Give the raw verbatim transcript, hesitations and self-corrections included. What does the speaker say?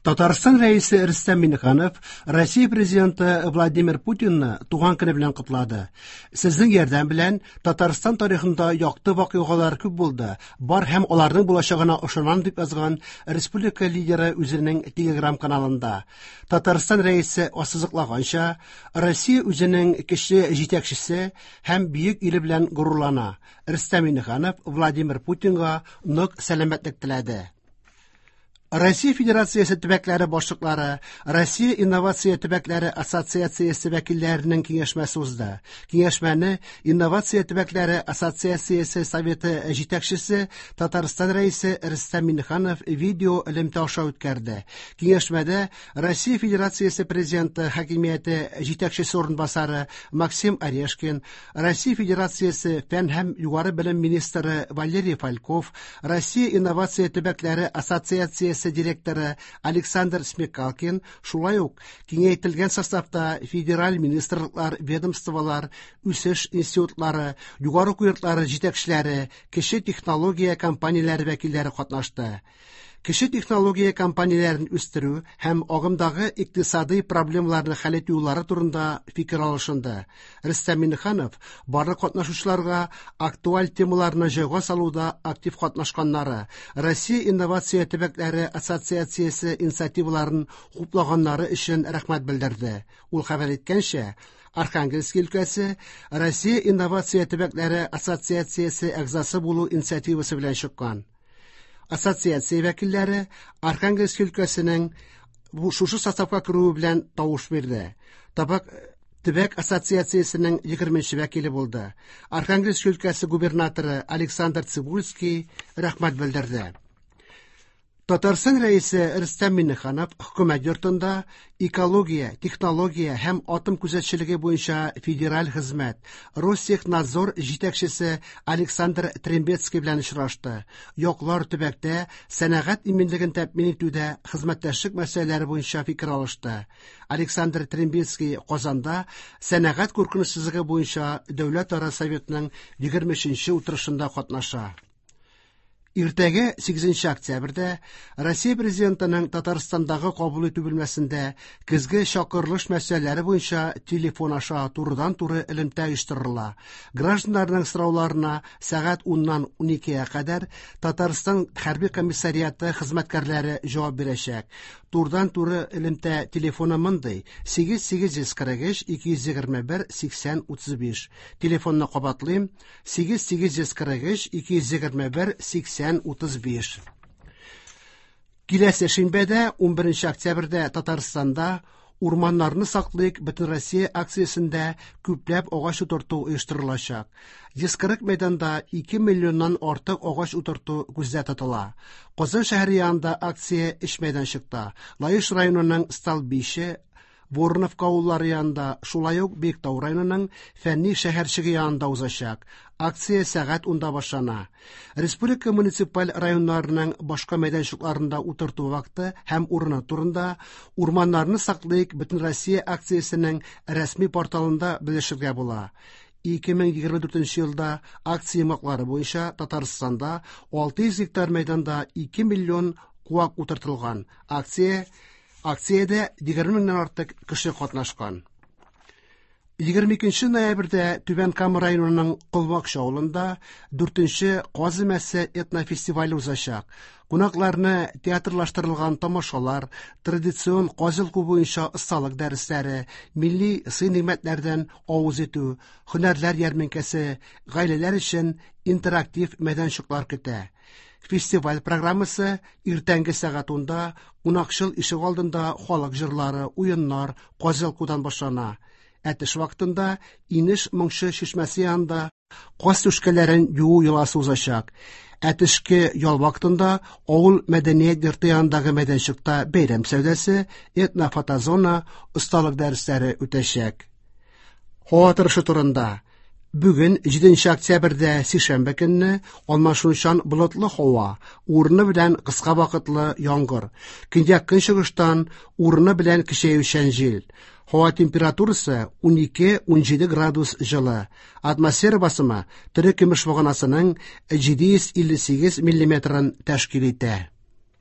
Татарстан Рәисе Рөстәм Миңнеханов Россия Президенты Владимир Путинны туган көне белән котлады. Сезнең ярдәм белән Татарстан тарихында якты вакыйгалар күп булды. Бар һәм аларның булачагына ышанам, дип язган республика лидеры үзенең Telegram каналында. Татарстан Рәисе ассызыклаганча, Россия үзенең кече җитәкчесе һәм бөек иле белән горурлана. Рөстәм Миңнеханов Владимир Путинга нык сәламәтлек теләде. Россия Федерациясе төбәкләре башлыклары, Россия инновация төбәкләре ассоциациясе вәкилләренең киңәшмәсе узды. Киңәшмәне Инновация төбәкләре ассоциациясе советы җитәкчесе Татарстан Рәисе Рөстәм Миңнеханов видео элемтә аша үткәрде. Киңәшмәдә Россия Федерациясе Президенты хакимияте җитәкчесе урынбасары Максим Орешкин, Россия Федерациясе фән һәм югары белем министры Валерий Фальков, Россия инновация төбәкләре ассоциациясе директоры Александр Смекалкин, шулай ук киңәйтелгән составта федераль министрлыклар, ведомстволар, үсеш институтлары, югары уку йортлары җитәкчеләре, кече технология компанияләре вәкилләре катнашты. Кече технология компанияләрен үстерү һәм агымдагы икътисадый проблемаларны хәл итү юллары турында фикер алышынды. Рөстәм Миңнеханов барлык катнашучыларга актуаль темаларны җайга салуда актив катнашканнары, Россия инновация төбәкләре ассоциациясе инициативаларын хуплаганнары өчен рәхмәт белдерде. Ул хәбәр иткәнчә, Архангельск өлкәсе Россия инновация төбәкләре ассоциациясе әгъзасы булу инициативасы белән чыккан. Ассоциация вәкилләре Архангельск өлкәсенең бу шушы составка керүе белән тавыш бирде. Табак төбәк ассоциациясенең егерменче вәкиле булды. Архангельск өлкәсе губернаторы Александр Цибульский рәхмәт белдерде. Татарстан Рәисе Рөстәм Миңнеханов хөкүмәт йортында экология, технология һәм атом күзәтчелеге буенча федераль хезмәт Ростехнадзор җитәкчесе Александр Трембецкий белән очрашты. Яклар төбәктә сәнәгать иминлеген тәэмин итүдә хезмәттәшлек мәсьәләләре буенча фикер алышты. Александр Трембецкий Казанда сәнәгать куркынычсызлыгы буенча Дәүләтара советның егерме өченче утырышында катнаша. Иртәгә сигезенче октябрьдә Россия Президентының Татарстандагы кабул итү бүлмәсендә көзге чакырылыш мәсьәләләре буенча телефон аша турыдан-туры элемтә оештырыла. Гражданнарның сорауларына сәгать уннан уникегә кадәр Татарстан хәрби комиссариаты хезмәткәрләре җавап бирәчәк. Турыдан-туры элемтә телефоны мондый: сигез сигез йөз кырык өч ике йөз егерме бер сиксән утыз биш. Телефонны кабатлыйм: сигез сигез йөз кырык өч ике йөз егерме бер сиксән утыз биш. Киләсе шимбәдә, унберенче октябрьдә Татарстанда Урманнарны саклыйк Бөтенроссия акциясендә күпләп агач утырту оештырылачак. Йөз кырык мәйданда ике миллионнан артык агач утырту күздә тотыла. Казан шәһәре янында акция өч мәйданчыкта. Лаеш районының Столбище, Вороновка авыллары янында, шулай ук Биектау районының Фәнни шәһәрчеге янында узачак. Акция сәгать унда башлана. Республика муниципаль районнарының башка мәйданчыкларында утырту вакыты һәм урыны турында Урманнарны саклыйк Бөтенроссия акциясенең рәсми порталында белешергә була. Ике мең егерме дүртенче елда акция йомгаклары буенча Татарстанда алты йөз гектар мәйданда ике миллион куак утыртылган. Акция Акциядә егерме меңнән артык кеше катнашкан. Егерме икенче ноябрьдә Түбән Кама районының Колмакчы авылында дүртенче Каз өмәсе этнофестивале узачак. Кунакларны театрлаштырылган тамашалар, традицион каз йолку буенча осталык дәресләре, милли сый-нигъмәтләрдән авыз итү, һөнәрләр ярминкәсе, гаиләләр өчен интерактив мәйданчыклар көтә. Фестиваль программасы иртәнге сәгать унда кунакчыл ишек алдында халык җырлары, уеннар, каз йолкудан башлана. Ә төш вакытында Инеш моңчы чишмәсе янында каз түшкәләрен юу йоласы узачак. Ә төшке ял вакытында авыл мәдәният йорты янындагы мәйданчыкта бәйрәм сәүдәсе, этнофотозона, осталык дәресләре үтәчәк. Һава торышы турында. Бүген җиденче октябрьдә сишәмбе көнне алмашынучан болытлы һава, урыны белән кыска вакытлы яңгыр. Көньяк көнчыгыштан урыны белән көчәючән җил. Һава температурасы унике - унҗиде градус җылы. Атмосфера басымы тере көмеш баганасының җиде йөз илле сигез миллиметрын тәшкил итә.